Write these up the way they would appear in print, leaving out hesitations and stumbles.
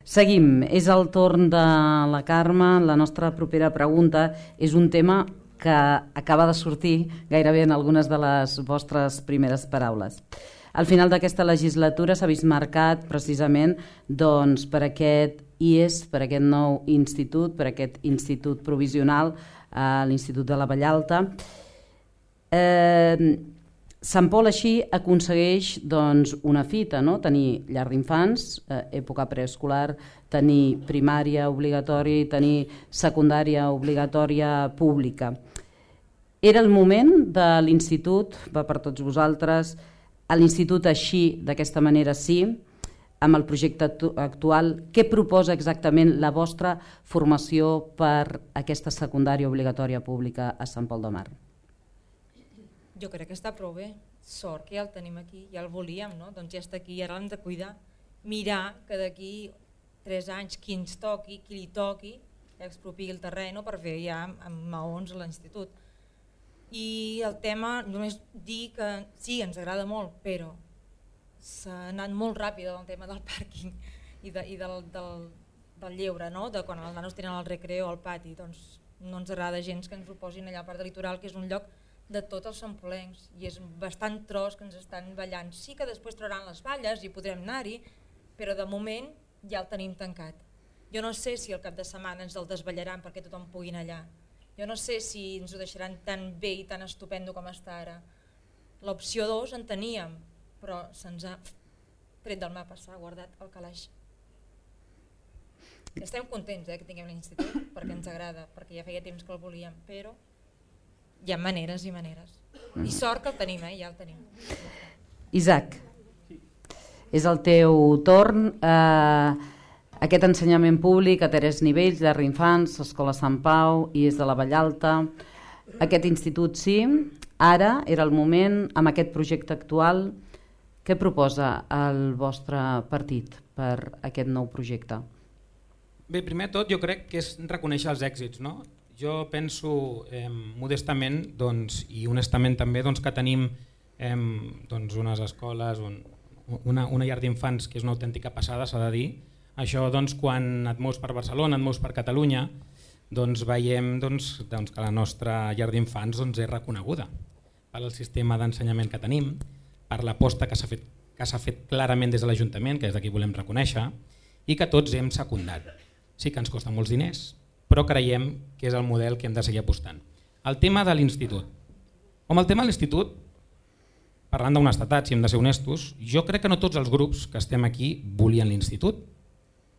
Seguim, és el torn de la Carme. La nostra propera pregunta és un tema que acaba de sortir gairebé en algunes de les vostres primeres paraules. Al final d'aquesta legislatura s'ha vist marcat precisament per aquest IES, per aquest nou institut, per aquest institut provisional, l'Institut de la Vallalta. Sant Pol així aconsegueix una fita, tenir llar d'infants, època preescolar, tenir primària obligatòria i tenir secundària obligatòria pública. Era el moment de l'institut, va per tots vosaltres, a l'institut així, d'aquesta manera sí, amb el projecte actual, què proposa exactament la vostra formació per aquesta secundària obligatòria pública a Sant Pol de Mar? Jo crec que està prou bé, sort que ja el tenim aquí, ja el volíem, doncs ja està aquí i ara l'hem de cuidar, mirar que d'aquí 3 anys qui ens toqui, qui li toqui, expropiï el terreny per fer ja amb maons a l'institut. I el tema, només dir que sí, ens agrada molt, però s'ha anat molt ràpid el tema del pàrquing i del lleure, de quan els nanos tenen el recreo al pati, doncs no ens agrada gens que ens ho posin allà a part del litoral, que és un lloc de tots els sampolencs i és bastant tros que ens estan ballant. Sí que després trauran les balles i podrem anar-hi, però de moment ja el tenim tancat. Jo no sé si el cap de setmana ens el desballaran perquè tothom pugui anar allà. Jo no sé si ens ho deixaran tan bé i tan estupendo com està ara. L'opció 2 en teníem, però se'ns ha tret del mapa, s'ha guardat al calaix. Estem contents que tinguem l'institut perquè ens agrada, perquè ja feia temps que el volíem, però hi ha maneres i maneres. I sort que el tenim, ja el tenim. Isaac, és el teu torn. Aquest ensenyament públic a 3 nivells, llar d'infants, Escola Sant Pau, IES de la Vallalta, aquest institut sí, ara era el moment, amb aquest projecte actual, què proposa el vostre partit per aquest nou projecte? Bé, primer de tot jo crec que és reconèixer els èxits, Jo penso modestament i honestament també que tenim unes escoles, una llar d'infants que és una autèntica passada, s'ha de dir. Això quan et mous per Barcelona, et mous per Catalunya, veiem que la nostra llar d'infants és reconeguda pel sistema d'ensenyament que tenim, per l'aposta que s'ha fet clarament des de l'Ajuntament, que és de qui volem reconèixer, i que tots hem secundat. Sí que ens costa molts diners, però creiem que és el model que hem de seguir apostant. El tema de l'institut. El tema de l'institut, parlant d'honestedat, si hem de ser honestos, jo crec que no tots els grups que estem aquí volien l'institut,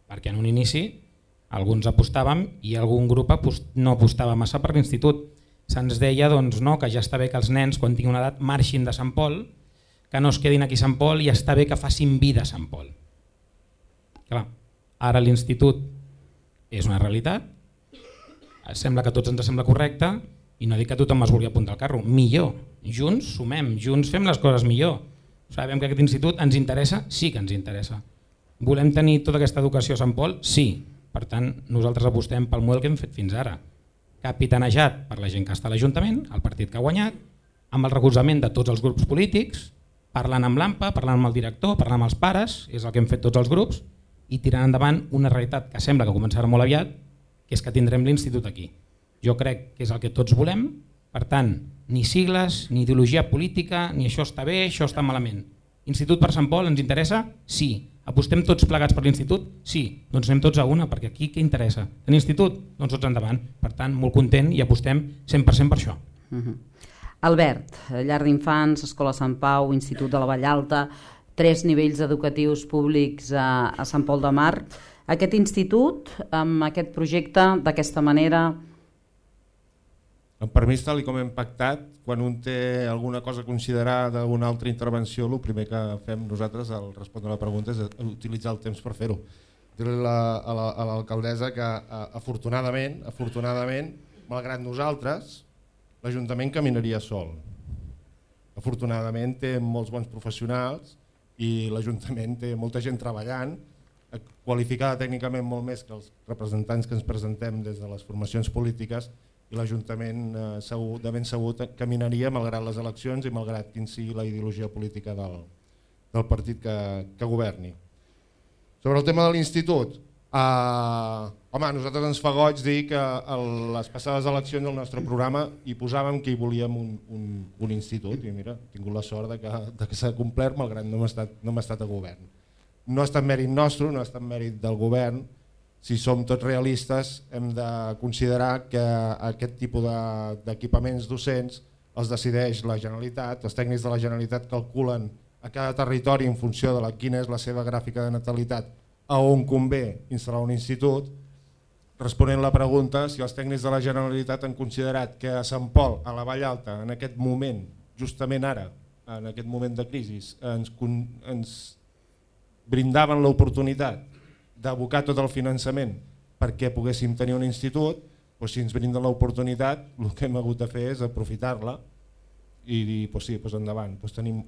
perquè en un inici alguns apostàvem i algun grup no apostava massa per l'institut. Se'ns deia que ja està bé que els nens, quan tinguin una edat, marxin de Sant Pol, que no es quedin aquí a Sant Pol i està bé que facin vida a Sant Pol. Clar, ara l'institut és una realitat, sembla que a tots ens sembla correcte i no dic que tothom es vulgui apuntar al carro, millor, junts sumem, junts fem les coses millor. Sabem que aquest institut ens interessa? Sí que ens interessa. Volem tenir tota aquesta educació a Sant Pol? Sí. Per tant, nosaltres apostem pel model que hem fet fins ara, capitanejat per la gent que està a l'Ajuntament, el partit que ha guanyat, amb el recolzament de tots els grups polítics, parlant amb l'AMPA, parlant amb el director, parlant amb els pares, és el que hem fet tots els grups, i tirant endavant una realitat que sembla que començarà molt aviat, que és que tindrem l'institut aquí. Jo crec que és el que tots volem, per tant, ni sigles, ni ideologia política, ni això està bé, això està malament. Institut per Sant Pol ens interessa? Sí. Apostem tots plegats per l'institut? Sí. Doncs anem tots a una, perquè aquí què interessa? Tenir institut? Doncs tots endavant. Per tant, molt content i apostem 100% per això. Albert, llar d'infants, Escola Sant Pau, Institut de la Vallalta, 3 nivells educatius públics a Sant Pol de Mar. Aquest institut, amb aquest projecte, d'aquesta manera... Per mi, tal com hem pactat, quan un té alguna cosa a considerar d'una altra intervenció, el primer que fem nosaltres al respondre a la pregunta és utilitzar el temps per fer-ho. Dir-li a l'alcaldessa que afortunadament, malgrat nosaltres, l'Ajuntament caminaria sol. Afortunadament té molts bons professionals i l'Ajuntament té molta gent treballant, qualificada tècnicament molt més que els representants que ens presentem des de les formacions polítiques, i l'Ajuntament de ben segur caminaria malgrat les eleccions i malgrat quin sigui la ideologia política del partit que governi. Sobre el tema de l'institut, Home, a nosaltres ens fa goig dir que a les passades eleccions del nostre programa hi posàvem que hi volíem un institut i mira, he tingut la sort de que s'ha complert malgrat no hem estat a govern. No ha estat mèrit nostre, no ha estat mèrit del govern. Si som tots realistes hem de considerar que aquest tipus d'equipaments docents els decideix la Generalitat, els tècnics de la Generalitat calculen a cada territori en funció de quina és la seva gràfica de natalitat a on convé instal·lar un institut. Responent la pregunta, si els tècnics de la Generalitat han considerat que a Sant Pol, a la Vall Alta, en aquest moment, justament ara, en aquest moment de crisi, ens brindaven l'oportunitat d'abocar tot el finançament perquè poguéssim tenir un institut, doncs si ens brinden l'oportunitat, el que hem hagut de fer és aprofitar-la i dir, sí, endavant, tenim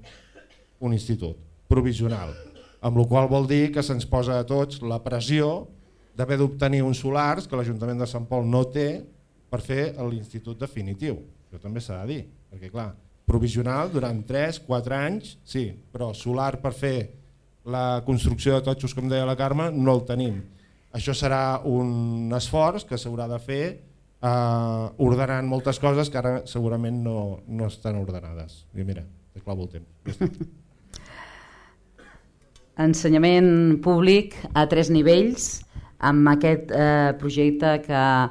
un institut provisional, amb la qual vol dir que se'ns posa a tots la pressió d'haver d'obtenir uns solars que l'Ajuntament de Sant Pol no té per fer l'institut definitiu. Això també s'ha de dir, perquè clar, provisional durant 3-4 anys, sí, però solar per fer la construcció de totxos, com deia la Carme, no el tenim. Això serà un esforç que s'haurà de fer ordenant moltes coses que ara segurament no estan ordenades. I mira, te clavo el temps. Ensenyament públic a 3 nivells amb aquest projecte que ha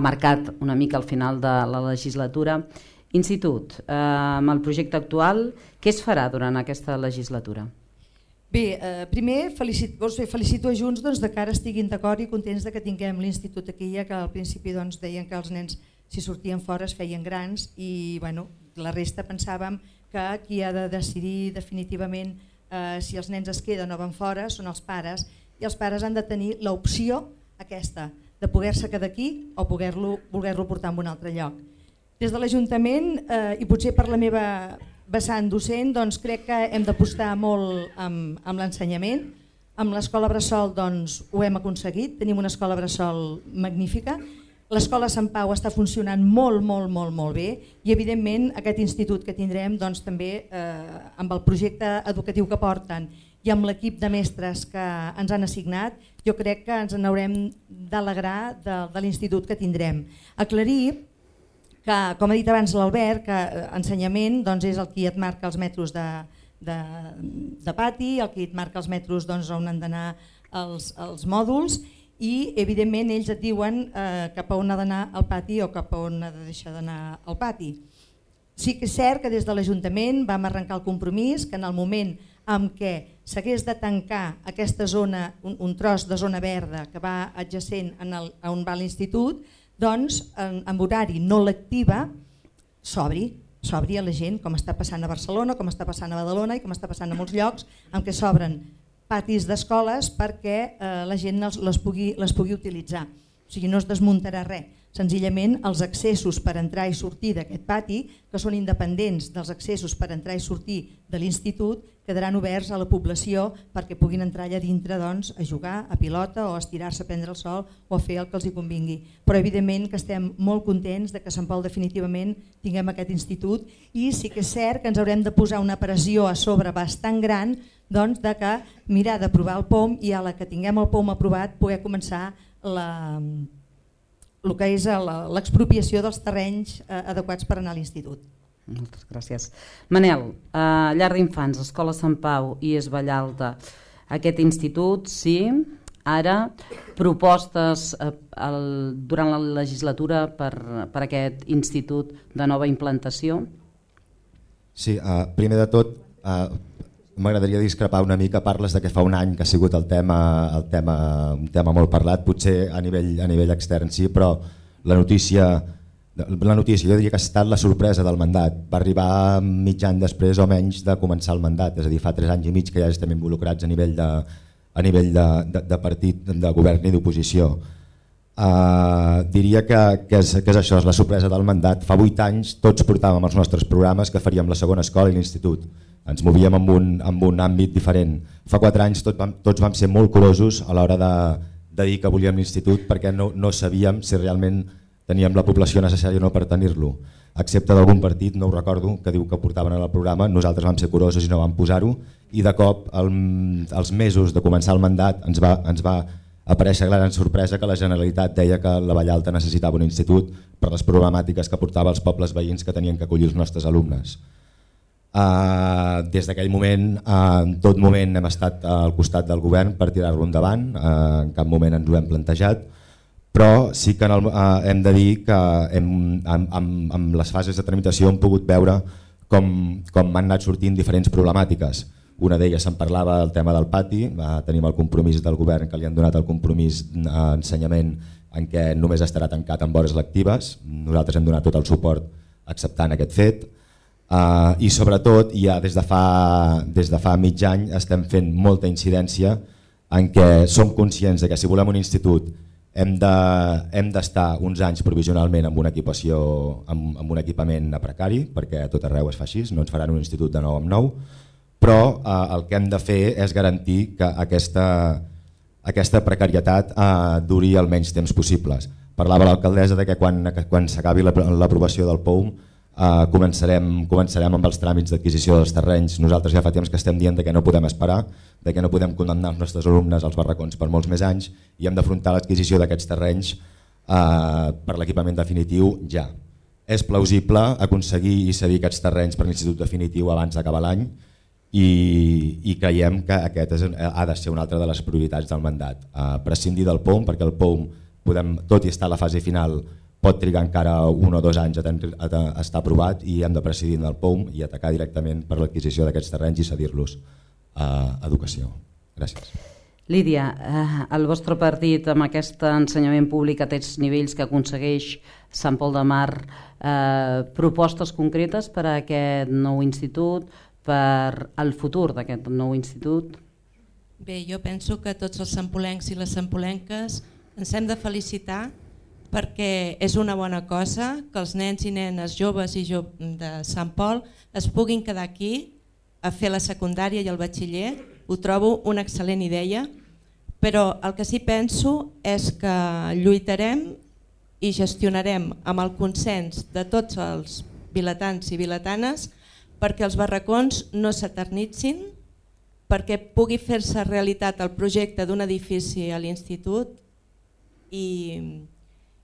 marcat una mica al final de la legislatura. Institut, amb el projecte actual, què es farà durant aquesta legislatura? Bé, primer felicito a Junts de que ara estiguin d'acord i contents que tinguem l'institut aquí, ja que al principi deien que els nens si sortien fora es feien grans i la resta pensàvem que qui ha de decidir definitivament si els nens es queden o van fora són els pares, i els pares han de tenir l'opció aquesta de poder-se quedar aquí o voler-lo portar a un altre lloc. Des de l'Ajuntament, i potser per la meva vessant docent, crec que hem d'apostar molt amb l'ensenyament. Amb l'escola Bressol ho hem aconseguit, tenim una escola Bressol magnífica. L'escola Sant Pau està funcionant molt bé i evidentment aquest institut que tindrem també amb el projecte educatiu que porten i amb l'equip de mestres que ens han assignat, jo crec que ens n'haurem d'alegrar de l'institut que tindrem. Aclarir que, com ha dit abans l'Albert, que ensenyament és el qui et marca els metres de pati, el qui et marca els metres on han d'anar els mòduls i evidentment ells et diuen cap a on ha d'anar el pati o cap a on ha de deixar d'anar el pati. Sí que és cert que des de l'Ajuntament vam arrencar el compromís que en el moment en què s'hagués de tancar aquesta zona, un tros de zona verda que va adjacent on va l'institut, en horari no lectiva s'obri a la gent, com està passant a Barcelona, com està passant a Badalona i com està passant a molts llocs en què s'obren patis d'escoles perquè la gent les pugui utilitzar. O sigui, no es desmuntarà res. Senzillament els accessos per entrar i sortir d'aquest pati, que són independents dels accessos per entrar i sortir de l'institut, quedaran oberts a la població perquè puguin entrar allà dintre a jugar a pilota o a estirar-se a prendre el sol o a fer el que els hi convingui. Però evidentment que estem molt contents que a Sant Pol definitivament tinguem aquest institut i sí que és cert que ens haurem de posar una pressió a sobre bastant gran de que mirar d'aprovar el POM i a la que tinguem el POM aprovat poder començar el que és l'expropiació dels terrenys adequats per anar a l'institut. Moltes gràcies. Manel, llar d'infants, Escola Sant Pau i Es Vallalta, aquest institut, sí, ara propostes durant la legislatura per aquest institut de nova implantació? Sí, primer de tot m'agradaria discrepar una mica, parles que fa un any que ha sigut un tema molt parlat, potser a nivell extern sí, però la notícia jo diria que ha estat la sorpresa del mandat, va arribar mig any després o menys de començar el mandat, és a dir, fa 3 anys i mig que ja estem involucrats a nivell de partit, de govern i d'oposició. Diria que és això, és la sorpresa del mandat. Fa 8 anys tots portàvem els nostres programes que faríem la segona escola i l'institut. Ens movíem en un àmbit diferent. Fa 4 anys tots vam ser molt curosos a l'hora de dir que volíem l'institut perquè no sabíem si realment teníem la població necessària o no per tenir-lo, excepte d'algun partit, no ho recordo, que diu que ho portaven al programa. Nosaltres vam ser curosos i no vam posar-ho, i de cop, als mesos de començar el mandat, ens va aparèixer gran sorpresa que la Generalitat deia que la Vallalta necessitava un institut per les problemàtiques que portava als pobles veïns que tenien que acollir els nostres alumnes. Des d'aquell moment, en tot moment hem estat al costat del govern per tirar-lo endavant, en cap moment ens ho hem plantejat, però sí que hem de dir que amb les fases de tramitació hem pogut veure com han anat sortint diferents problemàtiques. Una d'elles se'n parlava del tema del pati, tenim el compromís del govern que li han donat el compromís d'ensenyament en què només estarà tancat en hores lectives, nosaltres hem donat tot el suport acceptant aquest fet. I sobretot ja des de fa mig any estem fent molta incidència en què som conscients que si volem un institut hem d'estar uns anys provisionalment amb una equipació, amb un equipament precari, perquè a tot arreu es fa així, no ens faran un institut de nou en nou, però el que hem de fer és garantir que aquesta precarietat duri el menys temps possibles. Parlava l'alcaldessa que quan s'acabi l'aprovació del POUM començarem amb els tràmits d'adquisició dels terrenys. Nosaltres ja fa temps que estem dient que no podem esperar, que no podem condemnar els nostres alumnes als barracons per molts més anys i hem d'afrontar l'adquisició d'aquests terrenys per l'equipament definitiu ja. És plausible aconseguir i cedir aquests terrenys per l'institut definitiu abans d'acabar l'any i creiem que aquest ha de ser una altra de les prioritats del mandat. Prescindir del POUM, perquè el POUM, tot i estar a la fase final, pot trigar encara 1 o 2 anys a estar aprovat i hem de prescindir del POUM i atacar directament per l'adquisició d'aquests terrenys i cedir-los a educació. Gràcies. Lídia, el vostre partit amb aquest ensenyament públic a aquests nivells que aconsegueix Sant Pol de Mar, propostes concretes per a aquest nou institut, per al futur d'aquest nou institut? Bé, jo penso que tots els sampolencs i les sampolenques ens hem de felicitar perquè és una bona cosa que els nens i nenes joves i de Sant Pol es puguin quedar aquí a fer la secundària i el batxiller. Ho trobo una excel·lent idea, però el que sí penso és que lluitarem i gestionarem amb el consens de tots els vilatans i vilatanes perquè els barracons no s'eternitzin, perquè pugui fer-se realitat el projecte d'un edifici a l'institut i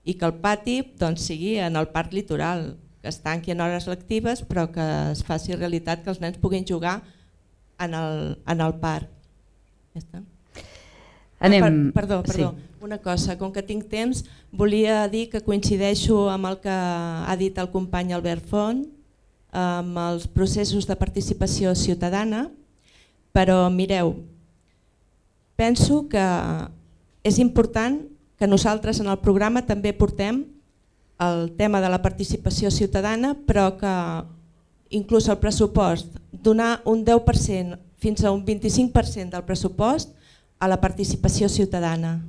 que el pati sigui en el parc litoral, que es tanqui en hores lectives però que es faci realitat que els nens puguin jugar en el parc. Ja està. Perdó, una cosa, com que tinc temps, volia dir que coincideixo amb el que ha dit el company Albert Font, amb els processos de participació ciutadana, però mireu, penso que és important que nosaltres en el programa també portem el tema de la participació ciutadana, però que inclús el pressupost, donar un 10% fins a un 25% del pressupost a la participació ciutadana.